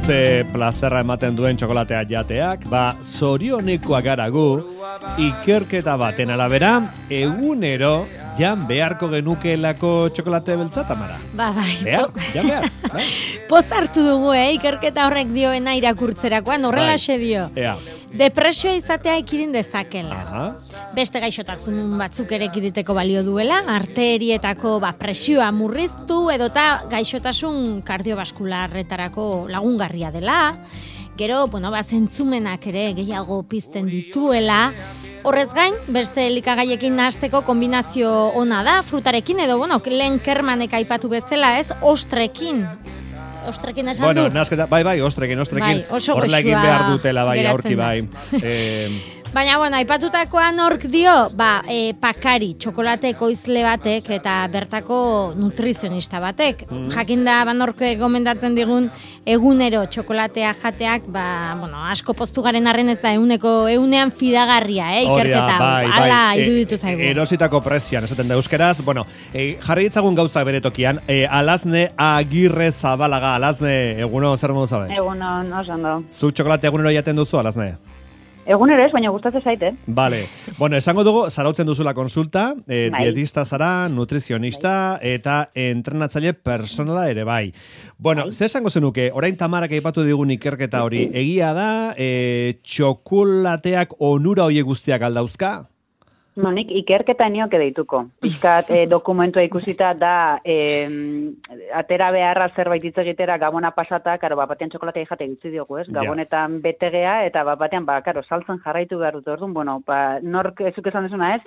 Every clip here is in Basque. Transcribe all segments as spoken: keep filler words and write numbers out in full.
ze plazerra ematen duen txokolatea jateak, ba, zorionekoa gara gu, ikerketa baten arabera, egunero jan beharko genukeelako txokolate beltza, Tamara. Ba, bai. Behar, jan behar. Bai? Poz hartu dugu, eh? Ikerketa horrek dioena irakurtzerakoan, horrela Bai. xe dio. Ea. Depresioa izatea ekidin dezakela. Aha. Beste gaixotasun batzuk ere ekiditeko balio duela, arterietako ba, presioa murriztu edota gaixotasun kardiobaskularretarako lagungarria dela. Gero, bueno, ba, zentzumenak ere gehiago pizten dituela. Horrez gain, beste elikagaiekin nahasteko kombinazio ona da, frutarekin edo, bueno, lehen Kermanek aipatu bezala, ez, ostrekin. Ostrekin esan Bueno, du? nasketa, bai, bai, ostrekin, ostrekin. Bai, oso horrela egin goxua behar dutela, bai, geratzen aurki, da. bai. Eh, Baina, bueno, aipatutakoan nork dio, ba, e, pakari, txokolate ekoizle batek eta bertako nutrizionista batek. Mm. Jakinda, ba, nork gomendatzen digun egunero txokolatea jateak, ba, bueno, asko poztu garen arren ez da euneko, eunean fidagarria, eh, hori da, ikerketa. bai, bai. Ala, E- iruditu zaigu. Erositako prezian, esaten da euskeraz. Bueno, e, jarri ditzagun gauzak bere tokian. E, Alazne Agirre Zabalaga, Alazne, eguno, zer modu zabe? Egunon, oso ondo. Zu txokolate egunero jaten duzu, Alazne? Egunero ez, baina gustatzen zaite. Vale. Bueno, esango dugu, zarautzen duzula konsulta, eh, Bai. dietista zara, nutrizionista, eta entrenatzaile personala ere bai. Bueno, Bai. ze esango zenuke, orain Tamarak aipatu digun ikerketa hori, egia da, eh, txokolateak onura hoiek guztiak aldauzka? No, nik ikerketa nioke deituko. Pixkat eh, dokumentua ikusita da eh, atera beharra zerbait hitz egitera gabona pasata, karo, bat batean txokolatea jate gutzi diogu, ez? Ja. Gabonetan betegea eta bat batean, ba, karo, saltzen jarraitu behar dut, orduan, bueno, ba, nork ezuk esan desuna ez,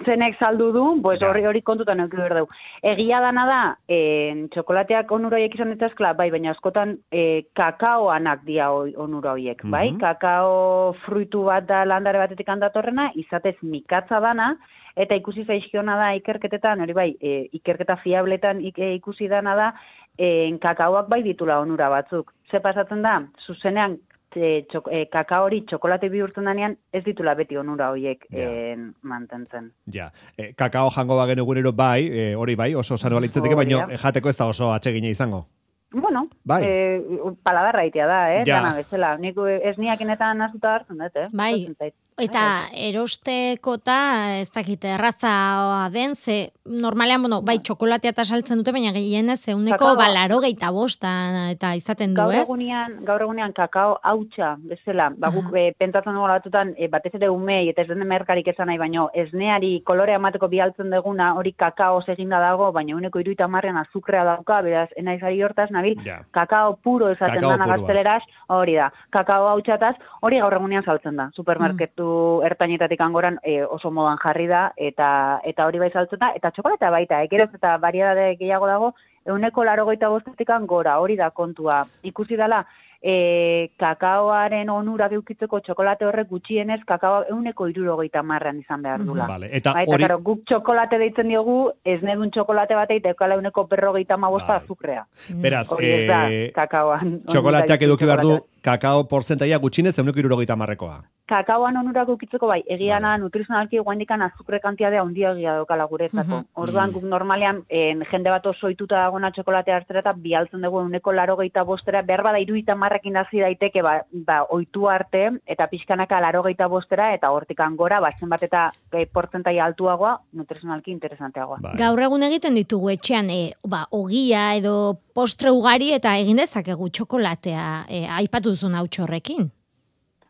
zenek saldu du, pues Ja. hori hori kontutan eduki behar dugu. Egia dana da, eh, txokolateak onura horiek izan dituzkela, bai, baina askotan eh, kakaoanak dia hoi- onura horiek, bai? Mhm. Kakao fruitu bat da landare batetik handatorrena, izatez mikatza dana, eta ikusi zaizkiona da ikerketetan, hori bai, e, ikerketa fiabletan ik- e, ikusi dana da, e, kakaoak bai ditula onura batzuk. Ze pasatzen da, zuzenean, e, txok, e, kakao hori txokolate bihurtzen danean, ez ditula beti onura horiek Ja. e, mantentzen. Ja, eh, kakao jango bagen egunero bai, eh, hori bai, oso sano balitzeteke, Hori baina da. jateko ez da oso atsegina izango. Bueno, Bai. e, paladarra itea da, eh? Ja. Dana bezala. Nik ez niakinetan azuta hartzen dut, eh? Bai. Gustatzen zait. Eta erosteekota, ez dakit, erraza den, ze normalean, bueno, bai, txokolatea eta saltzen dute, baina gehienez euneko Kakaoa. balaro geita bosta eta izaten du, Gaur ez? egunean, gaur egunean kakao hautsa bezala, ba guk e, pentsatzen dugu batutan e, batez ere umei eta ez den merkarik esan nahi, baino esneari kolorea emateko bialtzen deguna hori kakao eginda dago, baina uneko hirurogeita hamarrean azukrea dauka, beraz enaiz ari hortaz nabil, Ja. kakao puro esaten Kakao dana puruaz. gazteleraz, hori da, kakao hautsataz, hori gaur egunean saltzen da, supermarketu ertainetatik angoran e, oso modan jarri da, eta eta hori bai saltzen da, eta txokolatea baita, ekeroz eta variedade gehiago dago, euneko larogeita bostetik gora, hori da kontua. Ikusi dela, e, kakaoaren onura geukitzeko txokolate horrek gutxienez, kakao euneko irurogeita marran izan behar dula. Vale, eta Ba, eta hori... karo, guk txokolate deitzen diogu, ez nedun txokolate bat eta ekala euneko berrogeita mabosta Bai. azukrea. Beraz, Hori ez da, eh, kakaoan. txokolateak onura eduki behar du, txokolatea. kakao portzentaia gutxinez euneko irurogeita marrekoa. Kakaoan onurak ukitzeko bai, egiana Vale. nutrizionalki guaindikan azukre kantitatea handia egia daukala guretzako. Mhm. Orduan guk normalean en, jende bat oso ohituta dagona txokolatea hartzera eta bialtzen dugu euneko larogeita bostera, behar bada iruita marrekin hasi daiteke ba, ba ohitu arte eta pixkanaka larogeita bostera eta hortikan gora, ba zenbat eta e, portzentaia altuagoa, nutrizionalki interesanteagoa. Bai. Gaur egun egiten ditugu etxean, e, ba, ogia edo postre ugari eta egin dezakegu txokolatea, e, aipatu duzun hautsa horrekin.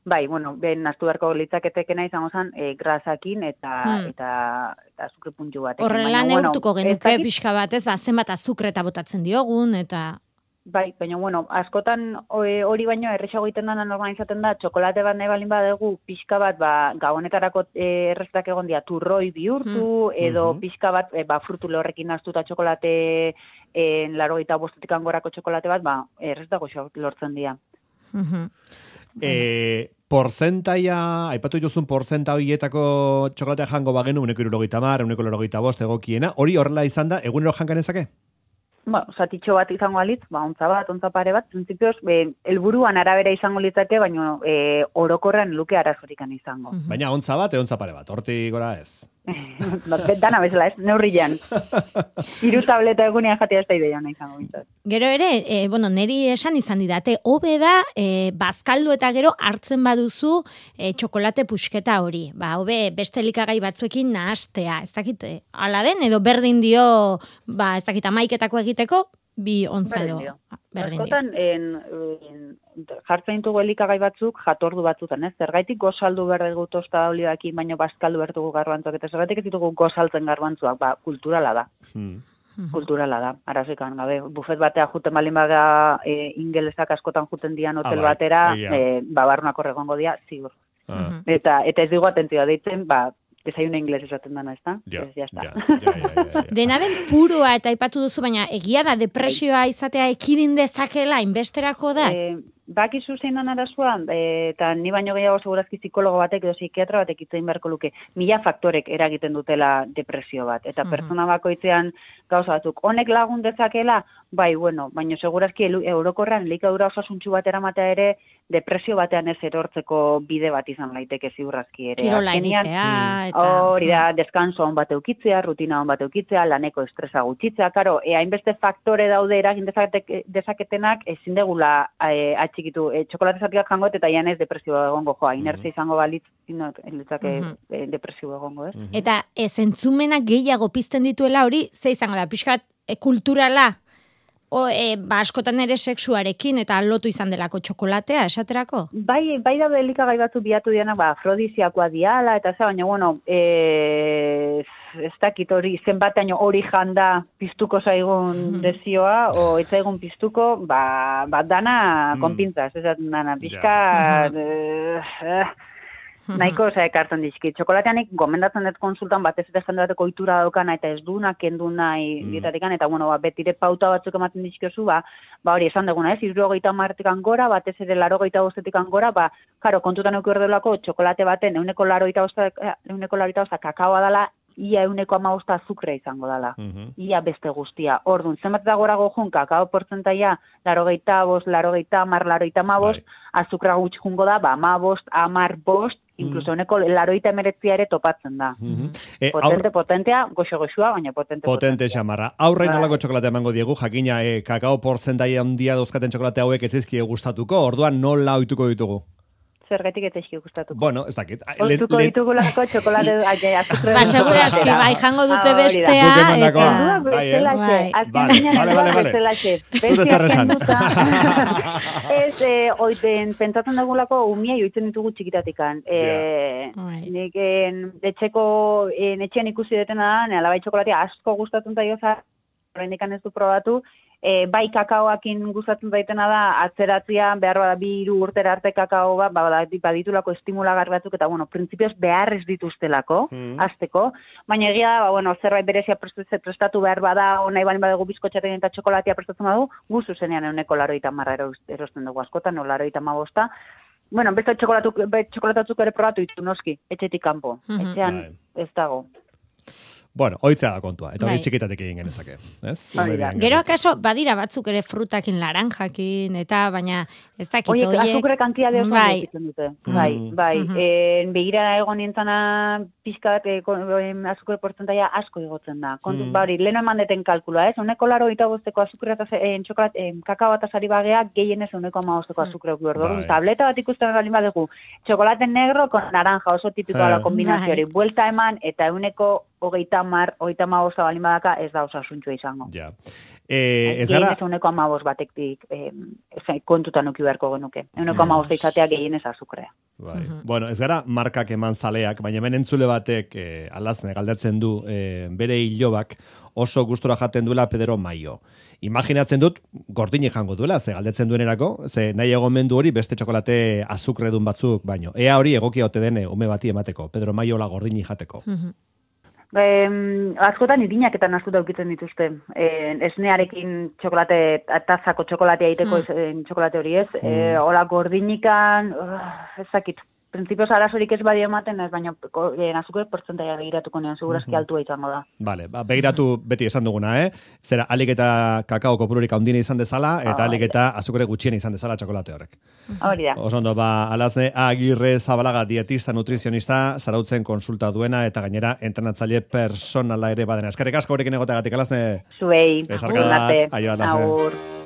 Bai, bueno, ben nastu beharko litzaketekena izango zen e, grasakin eta Hmm. eta eta azukre puntu batekin. Horrela Baina, neurtuko ez genuke dakit- pixka bat, ez, ba, zenbat azukre eta botatzen diogun, eta... Bai, baina bueno, askotan o- e, hori baino erresago egiten dana normal izaten da, txokolate bat nahi balin badegu, pixka bat, ba, gabonetarako e, erreztak egon dia, turroi bihurtu, edo Mhm. pixka bat, e, ba, frutu lorrekin astuta txokolate, e, larogeita bostetik angorako txokolate bat, ba, erreztako lortzen dira. Mhm. E, porzentaia, aipatu jozun porzenta horietako txokolatea jango bagenu, uneko irurogeita mar, uneko larogeita bost egokiena, hori horrela izan da, egunero jangan ezake? ba, zatitxo bat izango alitz, ba, ontza bat, ontza pare bat, printzipioz, be, helburuan arabera izango litzake, baina e, orokorren luke arazorikan izango. Baina ontza bat, e ontza pare bat, hortik gora ez. Dana bezala, ez, neurrian. Hiru tableta egunean jatea ez da ideia ona izango bintzat. Gero ere, e, bueno, neri esan izan didate, hobe da, e, bazkaldu eta gero hartzen baduzu e, txokolate pusketa hori. Ba, hobe beste elikagai batzuekin nahastea, ez dakit, e, ala den, edo berdin dio, ba, ez dakit, amaiketako egiteko, bi ontza edo. Berdin dio. Askotan, en, en, jartzen ditugu elikagai batzuk jatordu batzutan, ez? Zergaitik gozaldu behar dugu tosta olioekin, baina bazkaldu behar dugu garbantzuk, eta zergaitik ez ditugu gozaltzen garbantzuk, ba, kulturala da. Hmm. Kulturala da, arazikan, gabe, bufet batea juten balin baga e, ingelesak askotan juten dian hotel ah, batera, e, ba, barrunak horregongo dia, zigur. Ah. Eta, eta ez digu atentzioa deitzen, ba, desayuno inglés esaten dana, ez da? Ja, ya está. Ja, ja, ja, ja, ja. Dena den puroa eta aipatu duzu, baina egia da depresioa izatea ekidin dezakela, inbesterako da? E, bakizu zein dan arazua, e, eta ni baino gehiago segurazki psikologo batek edo psikiatra batek itzein beharko luke, mila faktorek eragiten dutela depresio bat. Eta uh-huh. pertsona bakoitzean gauza batzuk, honek lagun dezakela, bai, bueno, baina segurazki eurokorrean elikadura osasuntsu bat eramatea ere, depresio batean ez erortzeko bide bat izan laiteke ziurrazki ere. Kirola egitea, eta... Hori da, deskanso on bat eukitzea, rutina on bat eukitzea, laneko estresa gutxitzea, karo, e, hainbeste faktore daude eragin dezaketenak, ezin degula e, atxikitu, e, txokolate zatikak jangot, eta ian ez depresio egongo, joa, inertzia izango balitz, inotzake uh-huh. e, depresio egongo, ez? Uh-huh. Eta ez entzumenak gehiago pizten dituela hori, ze izango da, pixkat e, kulturala, O, e, ba, askotan ere sexuarekin eta lotu izan delako txokolatea, esaterako? Bai, bai da elikagai batzu biatu dianak, ba, afrodiziakoa diala, eta ze, baina, bueno, e, ez dakit hori, zenbateaino hori janda piztuko zaigun dezioa, o ez zaigun piztuko, ba, ba dana mm. konpintzaz, ez dana, pizka... Yeah. Uh, uh, nahiko eza ekartzen dizki. Txokolateanik gomendatzen dut konsultan batez eta jende bateko ohitura daukana eta ez duna kendu nahi mm. dietatikan, eta bueno, ba, betire pauta batzuk ematen dizkiozu, ba, ba hori esan duguna, ez, hirurogeita hamartik gora, batez ere laurogeita bostetik gora, ba, karo, kontutan euki ordelako txokolate baten euneko laurogeita bosta, euneko laurogeita bosta kakaoa dala, ia euneko amabosta azukrea izango dala. Mm-hmm. Ia beste guztia. Orduan, zenbat da gorago jun, kakao portzentaia, larogeita bost, larogeita amar, larogeita amabost, azukra gutxi jungo da, ba, amabost, amar bost, incluso honeko laroita emeretzia ere topatzen da. Mm-hmm. e, potente, aur... potentea, goxo-goxua, baina potente, potente. Potente xamarra. Aurrein nolako txokolate emango diegu, jakina e, kakao portzentaia handia dauzkaten txokolate hauek ez zaizkie gustatuko, orduan nola ohituko ditugu? Zergatik ez eski gustatuko. Bueno, ez dakit. Ohituko ditugulako txokolate azukre. Ba, segura eski, bai, jango dute bestea. Eta... Bai, bale, bale, bale. Zure zerresan. Ez, oiten, pentsatzen dugulako umia joitzen ditugu txikitatikan. Nik etxeko, etxean ikusi detena da, alabai txokolatea asko gustatzen zaio za, horrendikan ez du probatu, E, bai kakaoakin gustatzen daitena da, atzeratzia, behar bada bi hiru urtera arte kakao bat, baditulako estimulagar batzuk, eta, bueno, printzipioz behar ez dituztelako, mm. azteko, baina egia da, ba, bueno, zerbait berezia prestatu behar bada, nahi balin badegu bizkotxaten eta txokolatia prestatzen badu, guzu zenean euneko laroita marra erosten dugu askotan, no, laroita mabosta. Bueno, beste txokolatatzuk ere probatu ditu noski, etxetik kanpo, mm-hmm. etxean ez dago. Bueno, oitzea da kontua, eta hori bai. Txikitatek egin genezake. Ez? Gero akaso, badira batzuk ere frutakin, laranjakin, eta baina ez dakit oiek. Oiek, azukre kantiade oso bai. Ditzen dute. Mm. Bai, bai. Mm-hmm. E, begira egon nintzana pizkat, e, azukre portzentaia asko igotzen da. Kontu, mm. Bari, leheno eman deten kalkula, ez? Uneko laro eta bosteko azukre eta e, txokolat, e, kakao eta sari bagea, gehienez uneko ama bosteko azukre mm. Bai. Tableta bat ikusten galin badegu, txokolate negro con naranja, oso tipikoa la kombinazio hori. Buelta eman eta uneko hogeita mar, hogeita amabosta balin badaka, ez da osasuntxua izango. Ja. Eh, ez gara... Gehienez uneko amabost batektik eh, kontutan uki beharko genuke. Uneko amabosta izatea gehienez azukrea. Bai. Uh-huh. Bueno, ez gara markak eman zaleak, baina hemen entzule batek eh, alazne galdatzen du eh, bere hilobak oso gustora jaten duela Pedro Maio. Imaginatzen dut, gordini jango duela, ze galdetzen duenerako, ze nahi egomendu hori beste txokolate azukredun batzuk, baino. Ea hori egokia ote dene ume bati emateko, Pedro Maio la gordini jateko. Uh-huh. Eh, askotan irineaketan astuta ukitzen dituzte. Eh, esnearekin txokolate, tazako txokolatea egiteko mm. txokolate hori ez. Mm. Eh, Ola gordinikan, uh, ezakit. Printzipioz arazorik ez badio ematen, ez baina eh, azukre portzentaia begiratuko nean, segurazki altua izango da. Vale, ba, begiratu beti esan duguna, eh? Zera, alik eta kakao kopururik handine izan dezala, eta alik eta azukre gutxien izan dezala txokolate horrek. Hori da. Oso ondo, ba, Alazne Agirre Zabalaga, dietista, nutrizionista, zarautzen konsulta duena, eta gainera entrenatzaile personala ere badena. Eskerrik asko horrekin egoteagatik, Alazne. Zuei, Besarkadak, agur, aio, Alazne. agur.